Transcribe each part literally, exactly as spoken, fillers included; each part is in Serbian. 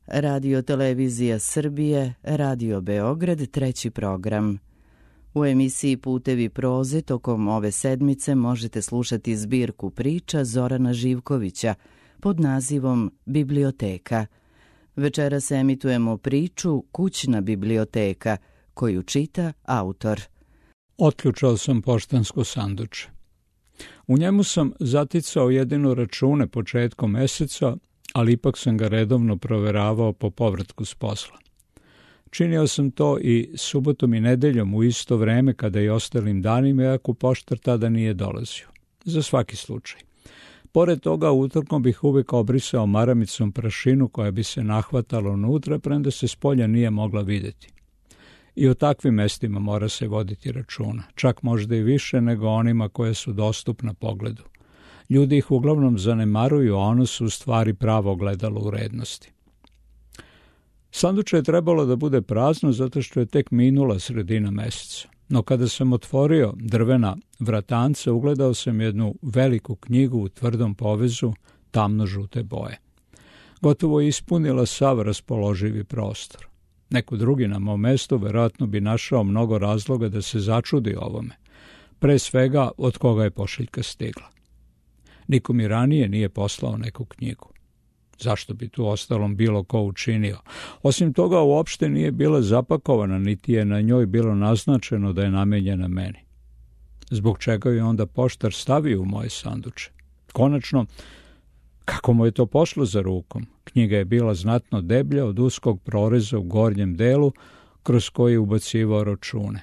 Radio Televizija Srbije, Radio Beograd, treći program. U emisiji Putevi proze tokom ove sedmice možete slušati zbirku priča Zorana Živkovića pod nazivom Biblioteka. Večeras emitujemo priču Kućna biblioteka, koju čita autor. Otključao sam poštansko sanduče. U njemu sam zaticao jedino račune početkom meseca, ali ipak sam ga redovno proveravao po povratku s posla. Činio sam to i subotom i nedeljom u isto vreme kada i ostalim danima, iako poštar tada nije dolazio. Za svaki slučaj. Pored toga, utorkom bih uvijek obrisao maramicom prašinu koja bi se nahvatala unutra, premda se s polja nije mogla vidjeti. I o takvim mestima mora se voditi računa, čak možda i više nego onima koje su dostupna pogledu. Ljudi ih uglavnom zanemaruju, a ono su u stvari pravo ogledalo urednosti. Sanduče je trebalo da bude prazno zato što je tek minula sredina meseca. No kada sam otvorio drvena vratanca, ugledao sam jednu veliku knjigu u tvrdom povezu tamno-žute boje. Gotovo je ispunila sav raspoloživi prostor. Neko drugi na mom mestu verovatno bi našao mnogo razloga da se začudi ovome. Pre svega, od koga je pošiljka stigla. Niko mi ranije nije poslao neku knjigu. Zašto bi tu ostalom bilo ko učinio? Osim toga, uopšte nije bila zapakovana, niti je na njoj bilo naznačeno da je namenjena meni. Zbog čega je onda poštar stavio u moje sanduče? Konačno, kako mu je to pošlo za rukom? Knjiga je bila znatno deblja od uskog proreza u gornjem delu kroz koji je ubacivao račune.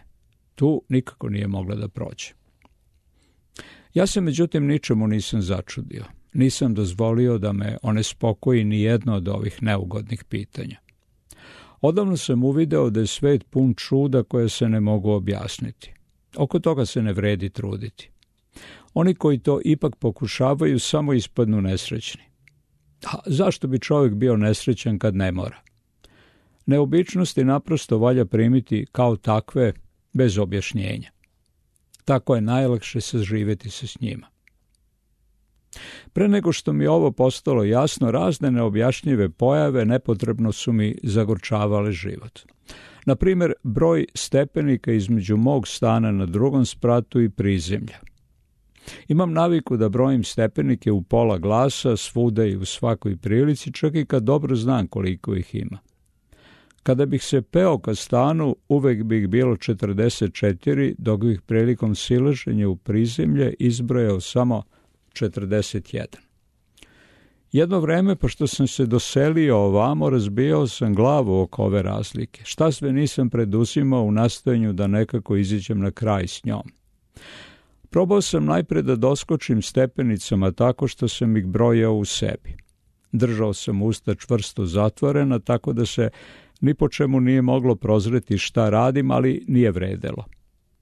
Tu nikako nije mogla da prođe. Ja se međutim ničemu nisam začudio. Nisam dozvolio da me onespokoji ni jedno od ovih neugodnih pitanja. Odavno sam uvideo da je svet pun čuda koje se ne mogu objasniti. Oko toga se ne vredi truditi. Oni koji to ipak pokušavaju samo ispadnu nesrećni. A zašto bi čovjek bio nesrećan kad ne mora? Neobičnosti naprosto valja primiti kao takve bez objašnjenja. Tako je najlakše saživjeti se s njima. Pre nego što mi ovo postalo jasno, razne neobjašnjive pojave nepotrebno su mi zagorčavale život. Na primjer, broj stepenika između mog stana na drugom spratu i prizemlja. Imam naviku da brojim stepenike u pola glasa, svuda i u svakoj prilici, čak i kad dobro znam koliko ih ima. Kada bih se peo ka stanu, uvek bih bilo četrdeset četiri, dok bih prilikom silaženja u prizemlje izbrojao samo četrdeset jedan. Jedno vreme, pošto sam se doselio ovamo, razbijao sam glavu oko ove razlike. Šta sve nisam preduzimao u nastojanju da nekako iziđem na kraj s njom. Probao sam najpre da doskočim stepenicama tako što sam ih brojao u sebi. Držao sam usta čvrsto zatvorena, tako da se ni po čemu nije moglo prozreti šta radim, ali nije vredelo.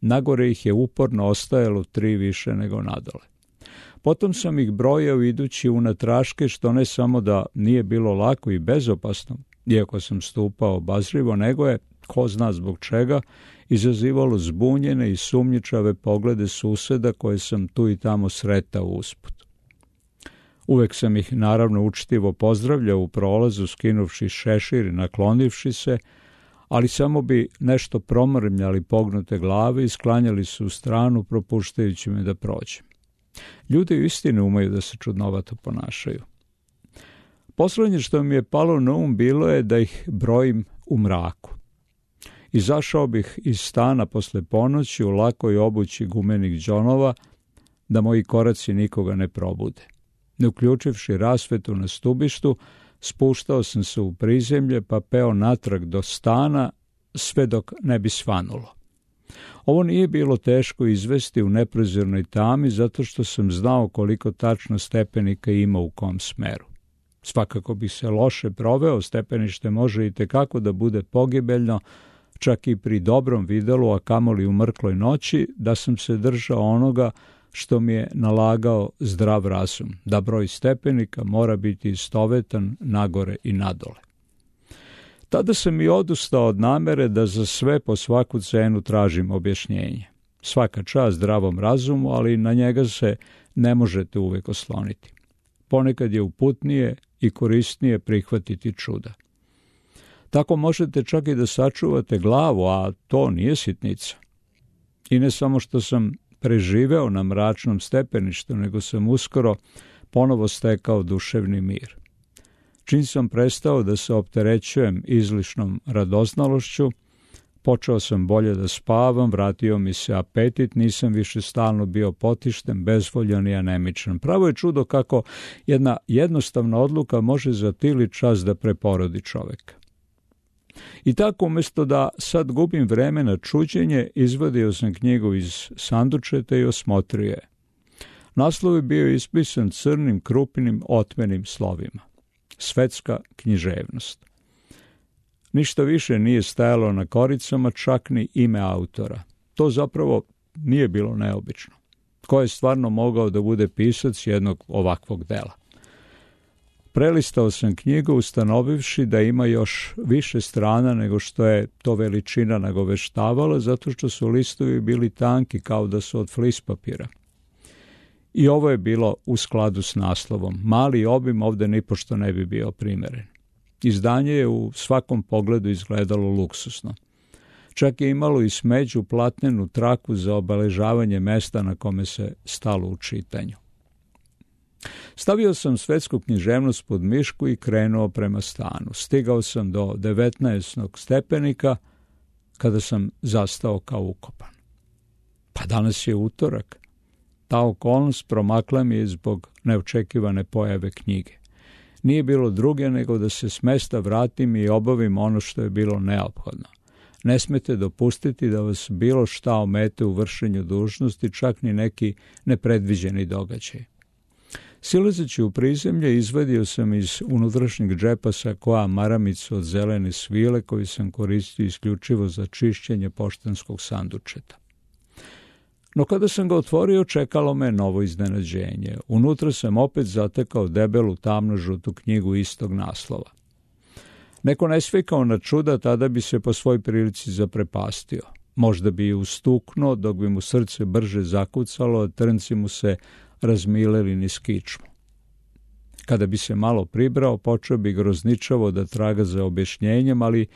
Nagore ih je uporno ostajalo tri više nego nadole. Potom sam ih brojao idući unatraške, što ne samo da nije bilo lako i bezopasno, iako sam stupao obazrivo, nego je, ko zna zbog čega, izazivalo zbunjene i sumnjičave poglede suseda koje sam tu i tamo sretao usput. Uvek sam ih naravno učtivo pozdravljao u prolazu, skinuvši šešir i naklonivši se, ali samo bi nešto promrmljali pognute glave i sklanjali se u stranu, propuštajući me da prođem. Ljudi u istini umeju da se čudnovato ponašaju. Poslednje što mi je palo na um bilo je da ih brojim u mraku. Izašao bih iz stana posle ponoći u lakoj obući gumenih džonova, da moji koraci nikoga ne probude. Ne uključivši rasvetu na stubištu, spuštao sam se u prizemlje pa peo natrag do stana, sve dok ne bi svanulo. Ovo nije bilo teško izvesti u neprozirnoj tami, zato što sam znao koliko tačno stepenika ima u kom smeru. Svakako bi se loše proveo, stepenište može i tekako da bude pogibeljno, čak i pri dobrom videlu, a kamoli u mrkloj noći, da sam se držao onoga što mi je nalagao zdrav razum, da broj stepenika mora biti istovetan nagore i nadole. Tada sam i odustao od namere da za sve po svaku cenu tražim objašnjenje. Svaka čast zdravom razumu, ali na njega se ne možete uvek osloniti. Ponekad je uputnije i korisnije prihvatiti čuda. Tako možete čak i da sačuvate glavu, a to nije sitnica. I ne samo što sam preživeo na mračnom stepeništu, nego sam uskoro ponovo stekao duševni mir. Čim sam prestao da se opterećujem izlišnom radoznalošću, počeo sam bolje da spavam, vratio mi se apetit, nisam više stalno bio potišten, bezvoljan i anemičan. Pravo je čudo kako jedna jednostavna odluka može za tili čas da preporodi čoveka. I tako, umjesto da sad gubim vreme na čuđenje, izvadio sam knjigu iz sandučeta i osmotrio je. Naslov je bio ispisan crnim, krupnim, otmenim slovima. Svetska književnost. Ništa više nije stajalo na koricama, čak ni ime autora. To zapravo nije bilo neobično. Ko je stvarno mogao da bude pisac jednog ovakvog dela? Prelistao sam knjigu ustanovivši da ima još više strana nego što je to veličina nagoveštavala, zato što su listovi bili tanki kao da su od flis papira. I ovo je bilo u skladu s naslovom. Mali obim ovde nipošto ne bi bio primeren. Izdanje je u svakom pogledu izgledalo luksusno. Čak je imalo i smeđu platnenu traku za obeležavanje mesta na kome se stalo u čitanju. Stavio sam svetsku književnost pod mišku i krenuo prema stanu. Stigao sam do devetnaestog stepenika kada sam zastao kao ukopan. Pa danas je utorak. Ta okolnost promakla mi je zbog neočekivane pojave knjige. Nije bilo druge nego da se s mesta vratim i obavim ono što je bilo neophodno. Ne smete dopustiti da vas bilo šta omete u vršenju dužnosti, čak ni neki nepredviđeni događaj. Silazeći u prizemlje, izvadio sam iz unutrašnjeg džepa sakoa maramicu od zelene svile koju sam koristio isključivo za čišćenje poštanskog sandučeta. No kada sam ga otvorio, čekalo me novo iznenađenje. Unutra sam opet zatekao debelu tamno-žutu knjigu istog naslova. Neko ne svikao na čuda, tada bi se po svoj prilici zaprepastio. Možda bi ustuknuo, dok bi mu srce brže zakucalo, a trnci mu se razmileli niz kičmu. Kada bi se malo pribrao, počeo bi grozničavo da traga za objašnjenjem, ali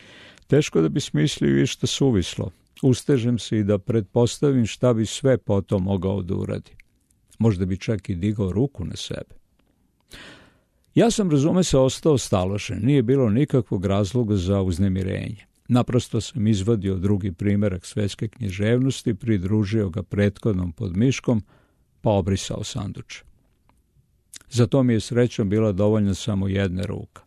teško da bi smislio išta suvislo. Ustežem se i da pretpostavim šta bi sve potom mogao da uradi. Možda bi čak i digao ruku na sebe. Ja sam, razume se, ostao staložen. Nije bilo nikakvog razloga za uznemirenje. Naprosto sam izvadio drugi primerak svetske književnosti, pridružio ga prethodnom pod miškom, pa obrisao sanduče. Za to mi je srećom bila dovoljna samo jedna ruka.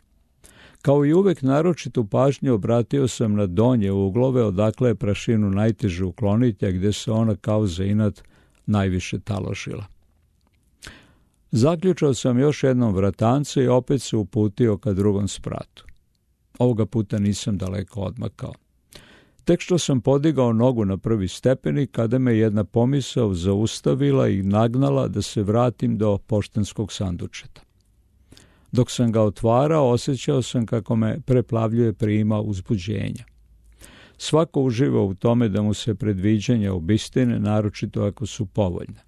Kao i uvek, naročitu pažnju obratio sam na donje uglove, odakle je prašinu najteže ukloniti, a gde se ona kao za inat najviše taložila. Zaključao sam još jednom vratance i opet se uputio ka drugom spratu. Ovoga puta nisam daleko odmakao. Tek što sam podigao nogu na prvi stepenik, kada me jedna pomisao zaustavila i nagnala da se vratim do poštanskog sandučeta. Dok sam ga otvarao, osjećao sam kako me preplavljuje prima uzbuđenja. Svako uživa u tome da mu se predviđanja obistine, naročito ako su povoljne.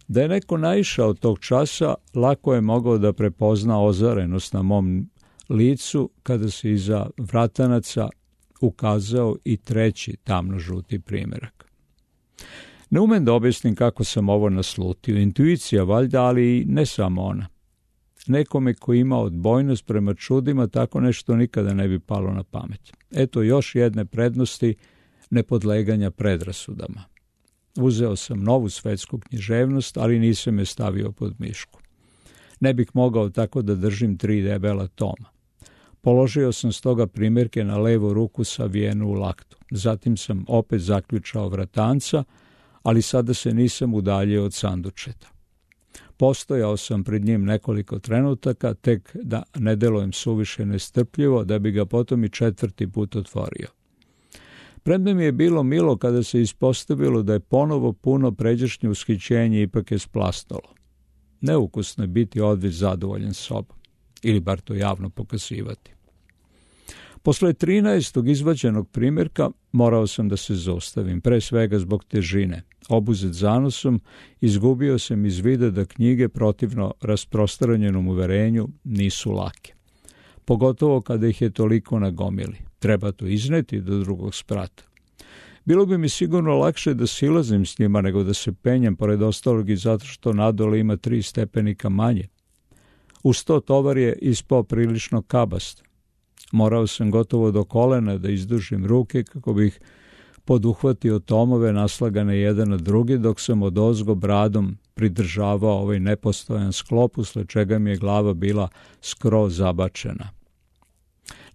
Da je neko naišao tog časa, lako je mogao da prepozna ozarenost na mom licu kada se iza vratanaca ukazao i treći tamno-žuti primerak. Ne umem da objasnim kako sam ovo naslutio. Intuicija valjda, ali i ne samo ona. Nekome ko ima odbojnost prema čudima, tako nešto nikada ne bi palo na pamet. Eto još jedne prednosti nepodleganja predrasudama. Uzeo sam novu svetsku književnost, ali nisam je stavio pod mišku. Ne bih mogao tako da držim tri debela toma. Položio sam stoga primjerke na levu ruku savijenu u laktu. Zatim sam opet zaključao vratanca, ali sada se nisam udaljio od sandučeta. Postojao sam pred njim nekoliko trenutaka, tek da ne delujem suviše nestrpljivo, da bi ga potom i četvrti put otvorio. Premda mi je bilo milo kada se ispostavilo da je ponovo puno pređašnje ushićenje ipak je splasnulo. Neukusno je biti odveć zadovoljan sobom, ili bar to javno pokazivati. Posle trinaestog izvađenog primjerka morao sam da se zaustavim, pre svega zbog težine. Obuzet zanosom, izgubio sam iz vida da knjige, protivno rasprostranjenom uverenju, nisu lake. pogotovo kada ih je toliko nagomili. Treba to izneti do drugog sprata. Bilo bi mi sigurno lakše da silazim s njima nego da se penjem pored ostalog i zato što nadole ima tri stepenika manje. Uz to tovar je ispao prilično kabast. Morao sam gotovo do kolena da izdužim ruke kako bih poduhvatio tomove naslagane jedan na drugi, dok sam odozgo bradom pridržavao ovaj nepostojan sklop, usled čega mi je glava bila skroz zabačena.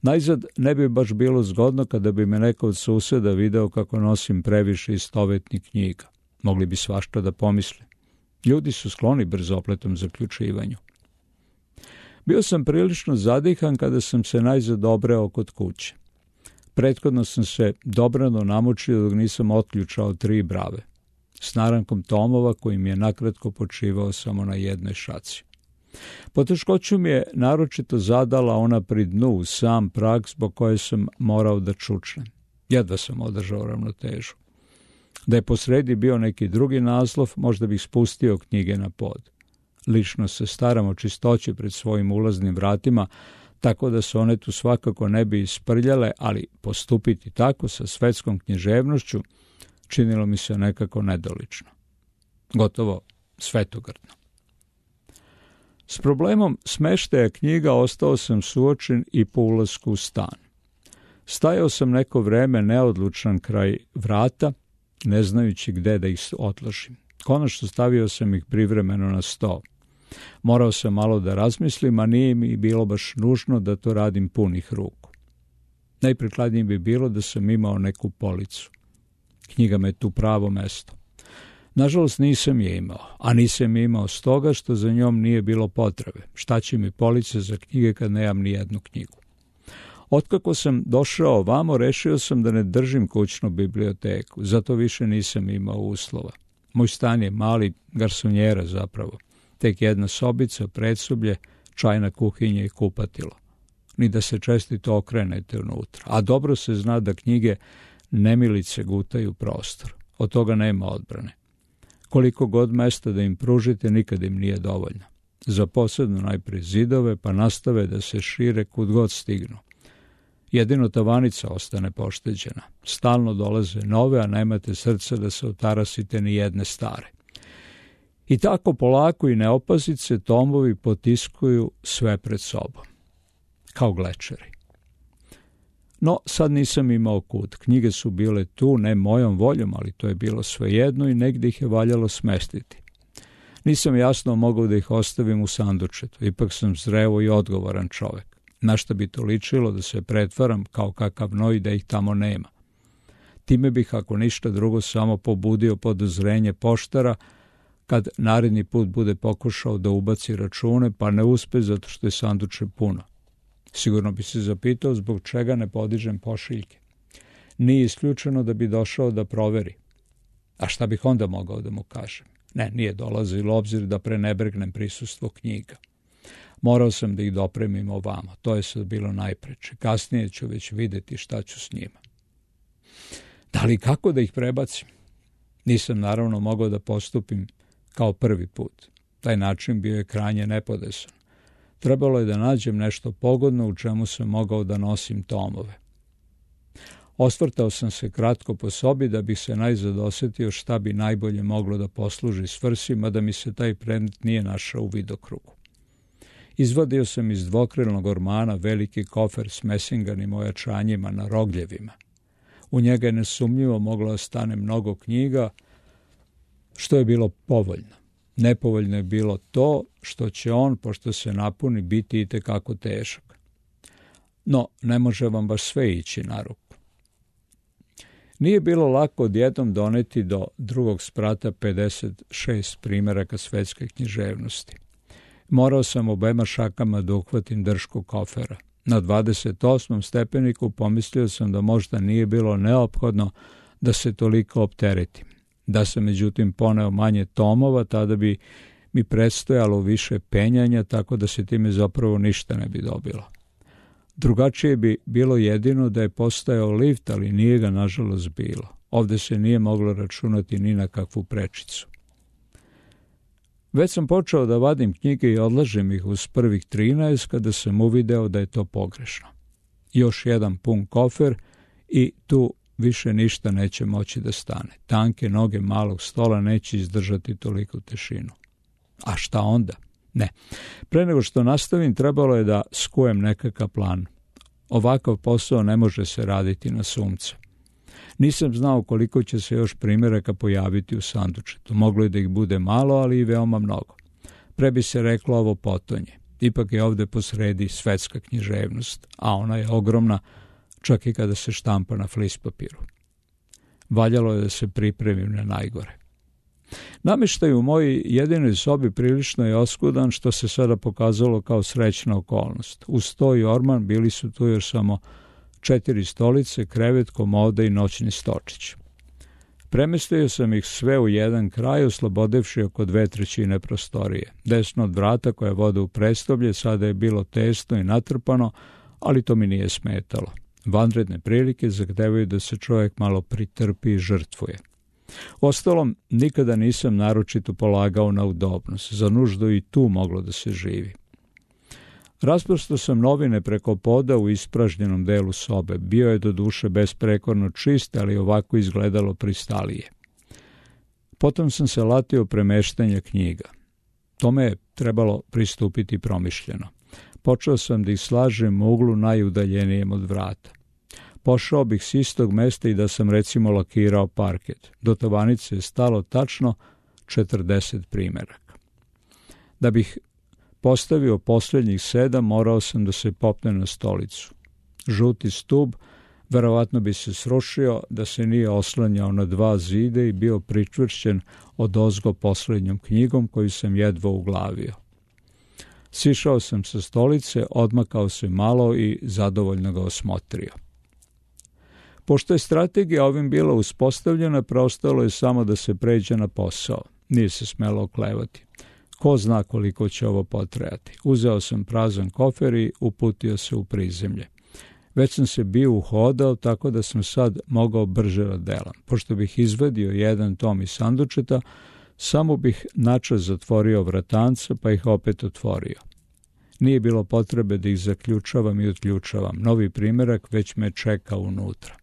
Najzad ne bi baš bilo zgodno kada bi me neko od suseda video kako nosim previše istovetnih knjiga. Mogli bi svašta da pomisle. Ljudi su skloni brzopletom zaključivanju. Bio sam prilično zadihan kada sam se najzad obreo kod kuće. Prethodno sam se dobrano namučio dok nisam otključao tri brave, s narankom tomova koji mi je nakratko počivao samo na jednoj šaci. Poteškoću mi je naročito zadala ona pri dnu uz sam prag zbog koje sam morao da čučnem. Jedva sam održao ravnotežu. Da je posredi bio neki drugi naslov, možda bih spustio knjige na pod. Lično se staram o čistoći pred svojim ulaznim vratima, tako da se one tu svakako ne bi isprljale, ali postupiti tako sa svetskom književnošću činilo mi se nekako nedolično. Gotovo svetogrdno. S problemom smeštaja knjiga ostao sam suočen i po ulasku u stan. Stajao sam neko vreme neodlučan kraj vrata, ne znajući gde da ih otložim. Konačno stavio sam ih privremeno na sto. Morao sam malo da razmislim, a nije mi bilo baš nužno da to radim punih ruku. Najprikladnije bi bilo da sam imao neku policu. Knjiga me tu pravo mesto. Nažalost nisam je imao, a nisam je imao stoga što za njom nije bilo potrebe. Šta će mi police za knjige kad nemam ni jednu knjigu? Otkako sam došao ovamo, rešio sam da ne držim kućnu biblioteku, zato više nisam imao uslova. Moj stan je mali, garsonjera zapravo. Tek jedna sobica, predsoblje, čajna kuhinja i kupatilo. Ni da se čestito okrenete unutra. A dobro se zna da knjige nemilice gutaju prostor. Od toga nema odbrane. Koliko god mesta da im pružite, nikad im nije dovoljno. Za posebno najprije zidove, pa nastave da se šire kud god stignu. Jedino tavanica ostane pošteđena. Stalno dolaze nove, a nemate srca da se otarasite ni jedne stare. I tako polako i neopazice tomovi potiskuju sve pred sobom. Kao glečeri. No, sad nisam imao kud. Knjige su bile tu, ne mojom voljom, ali to je bilo svejedno i negdje ih je valjalo smestiti. Nisam jasno mogao da ih ostavim u sandučetu. Ipak sam zreo i odgovoran čovek. Na šta bi to ličilo da se pretvaram kao kakav noj da ih tamo nema. Time bih, ako ništa drugo, samo pobudio podozrenje poštara kad naredni put bude pokušao da ubaci račune, pa ne uspe zato što je sanduče puno. Sigurno bi se zapitao zbog čega ne podižem pošiljke. Nije isključeno da bi došao da proveri. A šta bih onda mogao da mu kažem? Ne, nije dolazilo obzir da prenebregnem prisustvo knjiga. Morao sam da ih dopremim ovamo. To je sad bilo najpreče. Kasnije ću već videti šta ću s njima. Da li kako da ih prebacim? Nisam naravno mogao da postupim kao prvi put. Taj način bio je krajnje nepodesan. Trebalo je da nađem nešto pogodno u čemu sam mogao da nosim tomove. Osvrtao sam se kratko po sobi da bih se najzad osetio šta bi najbolje moglo da posluži svrsi, mada mi se taj predmet nije našao u vidokrugu. Izvadio sam iz dvokrilnog ormana veliki kofer s mesinganim ojačanjima na rogljevima. U njega je nesumnjivo moglo da stane mnogo knjiga, što je bilo povoljno. Nepovoljno je bilo to što će on, pošto se napuni, biti itekako težak. No, ne može vam baš sve ići na ruku. Nije bilo lako odjednom doneti do drugog sprata pedeset šest primjeraka svetske književnosti. Morao sam obema šakama da uhvatim dršku kofera. Na dvadeset osmom stepeniku pomislio sam da možda nije bilo neophodno da se toliko opteretim. Da sam međutim poneo manje tomova, tada bi mi predstojalo više penjanja, tako da se time zapravo ništa ne bi dobilo. Drugačije bi bilo jedino da je postojao lift, ali nije ga nažalost bilo. Ovde se nije moglo računati ni na kakvu prečicu. Već sam počeo da vadim knjige i odlažem ih uz prvih trinaest kada sam uvideo da je to pogrešno. Još jedan pun kofer i tu više ništa neće moći da stane. Tanke noge malog stola neće izdržati toliku tešinu. A šta onda? Ne. Pre nego što nastavim, trebalo je da skujem nekakav plan. Ovakav posao ne može se raditi na sumce. Nisam znao koliko će se još primjeraka pojaviti u sandučetu. Moglo je da ih bude malo, ali i veoma mnogo. Pre bi se reklo ovo potonje. Ipak je ovde posredi svetska književnost, a ona je ogromna čak i kada se štampa na flis papiru. Valjalo je da se pripremim na najgore. Namještaj u mojoj jedinoj sobi prilično je oskudan, što se sada pokazalo kao srećna okolnost. Uz sto i orman bili su tu još samo četiri stolice, krevet, komoda i noćni stočić. Premestio sam ih sve u jedan kraj, oslobodevši oko dve trećine prostorije. Desno od vrata koja vode u prestoblje sada je bilo tesno i natrpano, ali to mi nije smetalo. Vanredne prilike zahtevaju da se čovjek malo pritrpi i žrtvuje. Ostalom, nikada nisam naročito polagao na udobnost. Za nuždu i tu moglo da se živi. Rasprosto sam novine preko poda u ispražnjenom delu sobe. Bio je do duše besprekorno čist, ali ovako izgledalo pristalije. Potom sam se latio premeštanja knjiga. Tome je trebalo pristupiti promišljeno. Počeo sam da ih slažem u uglu najudaljenijem od vrata. Pošao bih s istog mesta i da sam recimo lakirao parket. Do tovanice je stalo tačno četrdeset primjeraka. Da bih postavio posljednjih sedam, morao sam da se popnem na stolicu. Žuti stub verovatno bi se srušio da se nije oslanjao na dva zide i bio pričvršćen odozgo posljednjom knjigom koju sam jedva uglavio. Sišao sam sa stolice, odmakao se malo i zadovoljno ga osmotrio. Pošto je strategija ovim bila uspostavljena, preostalo je samo da se pređe na posao. Nije se smelo oklevati. Ko zna koliko će ovo potrajati. Uzeo sam prazan kofer i uputio se u prizemlje. Već sam se bio uhodao, tako da sam sad mogao brže da delam. Pošto bih izvadio jedan tom iz sandučeta, samo bih načas zatvorio vratanca, pa ih opet otvorio. Nije bilo potrebe da ih zaključavam i otključavam. Novi primjerak već me čeka unutra.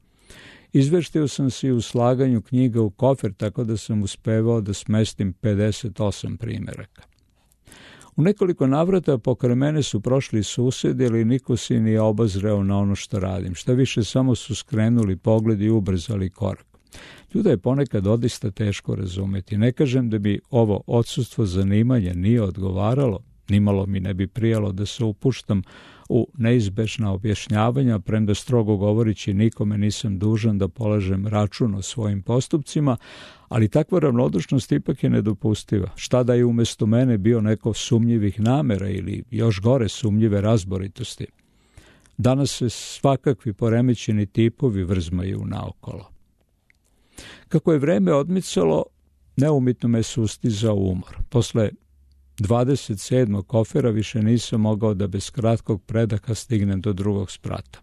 Izveštio sam se i u slaganju knjiga u kofer, tako da sam uspevao da smestim pedeset osam primjeraka. U nekoliko navrata pokraj mene su prošli susedi, ali niko se nije obazreo na ono što radim. Šta više, samo su skrenuli pogled i ubrzali korak. Ljude je ponekad odista teško razumeti. Ne kažem da bi ovo odsustvo zanimanja nije odgovaralo, nimalo mi ne bi prijalo da se upuštam u neizbešna objašnjavanja, premda strogo govorići nikome nisam dužan da polažem račun o svojim postupcima, ali takva ravnodušnost ipak je nedopustiva. Šta da je umjesto mene bio neko sumnjivih namera ili još gore sumnjive razboritosti. Danas se svakakvi poremećeni tipovi vrzmaju naokolo. Kako je vreme odmicalo, neumitno me sustizao umor. Posle dvadeset sedmog kofera više nisam mogao da bez kratkog predaha stignem do drugog sprata.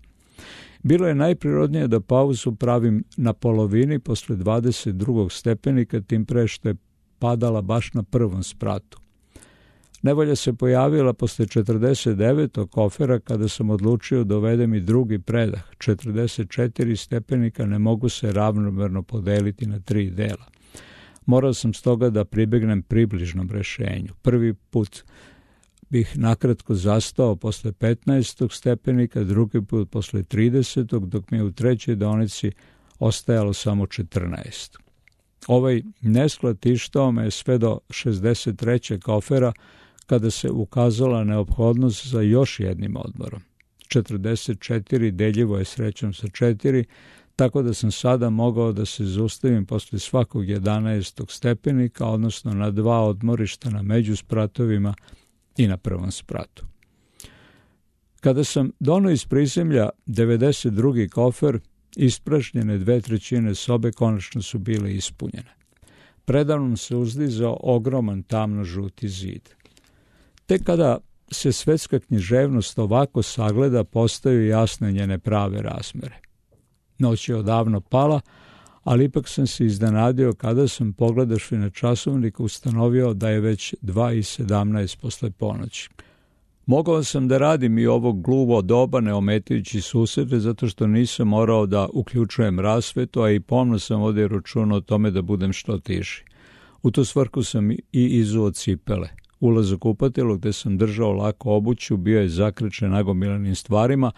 Bilo je najprirodnije da pauzu pravim na polovini posle dvadeset drugog stepenika, tim pre što je padala baš na prvom spratu. Nevolja se pojavila posle četrdeset devetog kofera kada sam odlučio da uvedem i drugi predah. četrdeset četiri stepenika ne mogu se ravnomerno podeliti na tri dela. Morao sam stoga da pribegnem približnom rešenju. Prvi put bih nakratko zastao posle petnaestog stepenika, drugi put posle tridesetog, dok mi je u trećoj deonici ostajalo samo četrnaest. Ovaj nesklad tištao me sve do šezdeset trećeg kofera, kada se ukazala neophodnost za još jednim odmorom. četrdeset četiri deljivo je srećom sa četiri, tako da sam sada mogao da se zaustavim posle svakog jedanaestog stepenika, odnosno na dva odmorišta na međuspratovima i na prvom spratu. Kada sam donao iz prizemlja devedeset drugi kofer, ispražnjene dve trećine sobe konačno su bile ispunjene. Predavnom se uzdizao ogroman tamno-žuti zid. Tek kada se svetska književnost ovako sagleda, postaju jasne njene prave razmere. Noć je odavno pala, ali ipak sam se iznenadio kada sam pogledavši na časovnik ustanovio da je već dva i sedamnaest posle ponoći. Mogao sam da radim i ovog gluvo doba ne ometajući susrete zato što nisam morao da uključujem rasvetu, a i pomno sam vodio računa o tome da budem što tiši. U tu svrhu sam i izuo cipele. Ulaz u kupatilo gde sam držao lako obuću bio je zakrečen nagomilanim stvarima,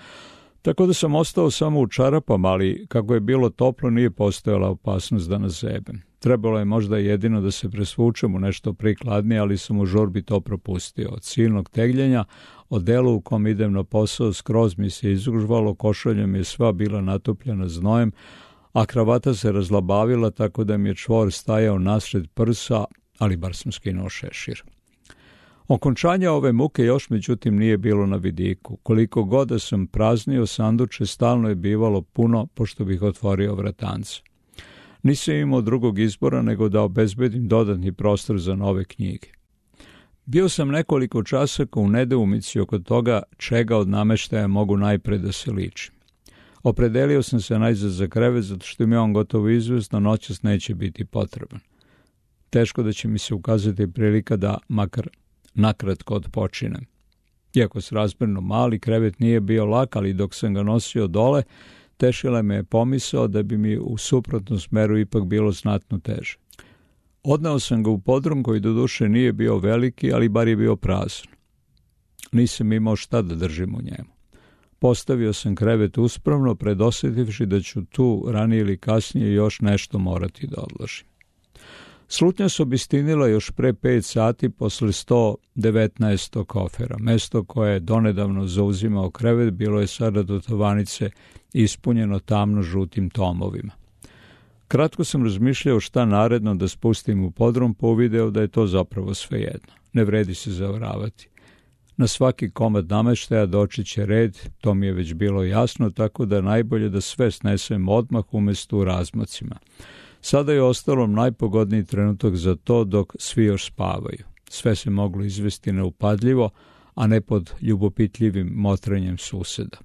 tako da sam ostao samo u čarapama, ali kako je bilo toplo nije postojala opasnost da nas zebem. Trebalo je možda jedino da se presvučem u nešto prikladnije, ali sam u žurbi to propustio. Od silnog tegljenja, od delu u kom idem na posao, skroz mi se izužvalo, košulja mi je sva bila natopljena znojem, a kravata se razlabavila tako da mi je čvor stajao nasred prsa, ali bar sam skinuo šešir. Okončanja ove muke još međutim nije bilo na vidiku. Koliko god da sam praznio sanduče, stalno je bivalo puno pošto bih otvorio vratance. Nisam imao drugog izbora nego da obezbedim dodatni prostor za nove knjige. Bio sam nekoliko časaka u nedoumici oko toga čega od nameštaja mogu najpre da se ličim. Opredelio sam se najzad za krevet zato što mi on gotovo izvesno noćas neće biti potreban. Teško da će mi se ukazati prilika da makar nakratko odpočinem. Iako srazmerno mali, krevet nije bio lak, ali dok sam ga nosio dole, tešila me je pomisao da bi mi u suprotnom smeru ipak bilo znatno teže. Odneo sam ga u podrum koji doduše nije bio veliki, ali bar je bio prazan. Nisam imao šta da držim u njemu. Postavio sam krevet uspravno, predosjetivši da ću tu ranije ili kasnije još nešto morati da odložim. Slutnja se obistinila još pre pet sati posle sto devetnaest kofera. Mesto koje je donedavno zauzimao krevet bilo je sada do tovanice ispunjeno tamno žutim tomovima. Kratko sam razmišljao šta naredno da spustim u podrum, pa uvideo da je to zapravo svejedno. Ne vredi se zavaravati. Na svaki komad nameštaja doći će red, to mi je već bilo jasno, tako da najbolje da sve snesem odmah umesto u razmacima. Sada je ostalo najpogodniji trenutak za to dok svi još spavaju. Sve se moglo izvesti neupadljivo, a ne pod ljubopitljivim motrenjem suseda.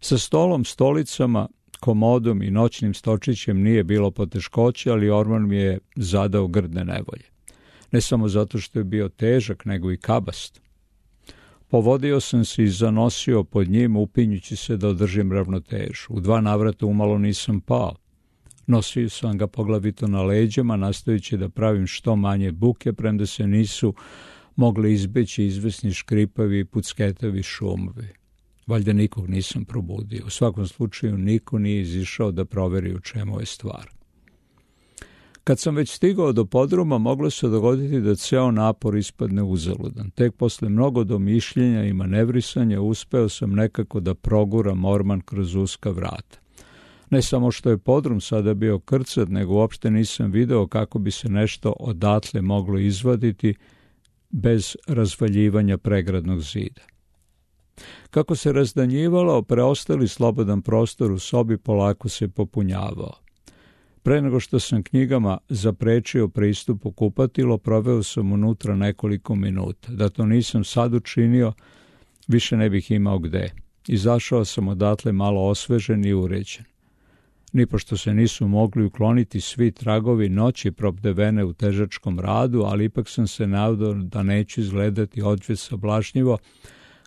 Sa stolom, stolicama, komodom i noćnim stočićem nije bilo poteškoće, ali orman mi je zadao grdne nevolje. Ne samo zato što je bio težak, nego i kabast. Povodio sam se i zanosio pod njim, upinjući se da održim ravnotežu. U dva navrata umalo nisam pao. Nosio sam ga poglavito na leđama, nastojići da pravim što manje buke, premda se nisu mogli izbeći izvesni škripavi i pucketavi šumovi. Valjda nikog nisam probudio. U svakom slučaju niko nije izišao da proveri u čemu je stvar. Kad sam već stigao do podruma, moglo se dogoditi da ceo napor ispadne uzaludan. Tek posle mnogo domišljenja i manevrisanja uspeo sam nekako da proguram orman kroz uska vrata. Ne samo što je podrum sada bio krcat, nego uopšte nisam video kako bi se nešto odatle moglo izvaditi bez razvaljivanja pregradnog zida. Kako se razdanjivalo, preostali slobodan prostor u sobi polako se popunjavao. Pre nego što sam knjigama zaprečio pristup u kupatilo, proveo sam unutra nekoliko minuta. Da to nisam sad učinio, više ne bih imao gde. Izašao sam odatle malo osvežen i uređen. Nipošto se nisu mogli ukloniti svi tragovi noći probdevene u težačkom radu, ali ipak sam se nadao da neću izgledati odveć sablažnjivo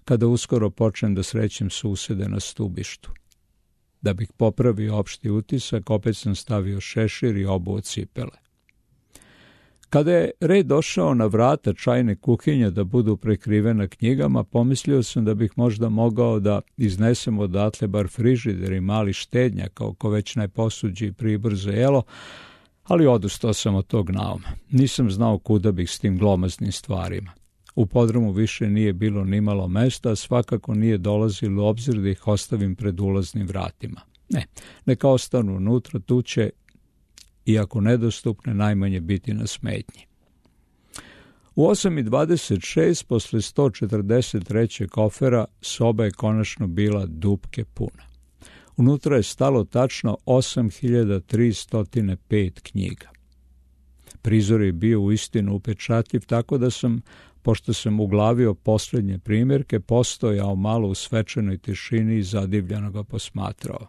kada uskoro počnem da srećem susede na stubištu. Da bih popravio opšti utisak, opet sam stavio šešir i obuo cipele. Kada je red došao na vrata čajne kuhinje da budu prekrivena knjigama, pomislio sam da bih možda mogao da iznesem odatle bar frižider i mali štednjak, oko već najposuđi pribor za jelo, ali odustao sam od tog nauma. Nisam znao kuda bih s tim glomaznim stvarima. U podrumu više nije bilo nimalo mesta, a svakako nije dolazilo u obzir da ih ostavim pred ulaznim vratima. Ne, neka ostanu unutra, tu će, iako nedostupne, najmanje biti na smetnji. U osam i dvadeset šest, posle sto četrdeset tri kofera, soba je konačno bila dupke puna. Unutra je stalo tačno osam hiljada tristo pet knjiga. Prizor je bio uistinu upečatljiv, tako da sam, pošto sam uglavio poslednje primjerke, postojao malo u svečanoj tišini i zadivljeno ga posmatrao.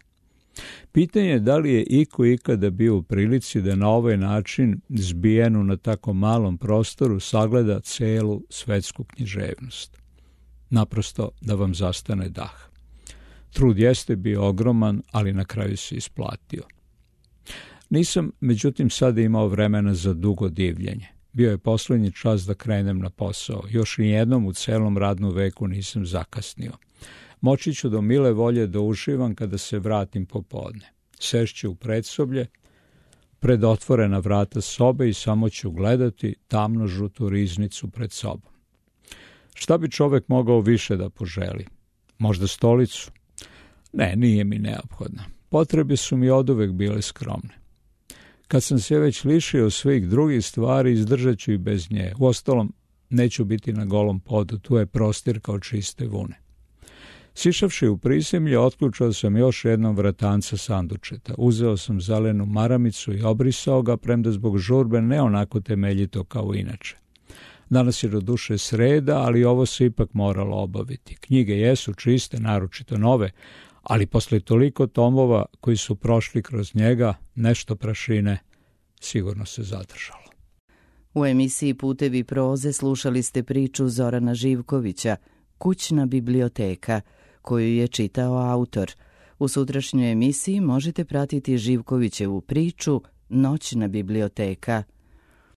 Pitanje je da li je iko ikada bio u prilici da na ovaj način, zbijenu na tako malom prostoru, sagleda celu svetsku književnost. Naprosto da vam zastane dah. Trud jeste bio ogroman, ali na kraju se isplatio. Nisam, međutim, sada imao vremena za dugo divljenje. Bio je poslednji čas da krenem na posao. Još nijednom u celom radnom veku nisam zakasnio. Moći ću do mile volje da uživam kada se vratim popodne. Sešću u predsoblje, pred otvorena vrata sobe i samo ću gledati tamno žutu riznicu pred sobom. Šta bi čovek mogao više da poželi? Možda stolicu? Ne, nije mi neophodna. Potrebe su mi oduvek bile skromne. Kad sam se već lišio svih drugih stvari, izdržat ću i bez nje. Uostalom, neću biti na golom podu, tu je prostir kao čiste vune. Sišavši u prizemlje, otključao sam još jednom vratanca sandučeta. Uzeo sam zelenu maramicu i obrisao ga, premda zbog žurbe ne onako temeljito kao inače. Danas je do duše sreda, ali ovo se ipak moralo obaviti. Knjige jesu čiste, naročito nove, ali posle toliko tomova koji su prošli kroz njega, nešto prašine sigurno se zadržalo. U emisiji Putevi proze slušali ste priču Zorana Živkovića, Kućna biblioteka, koju je čitao autor. U sutrašnjoj emisiji možete pratiti Živkovićevu priču Noćna biblioteka.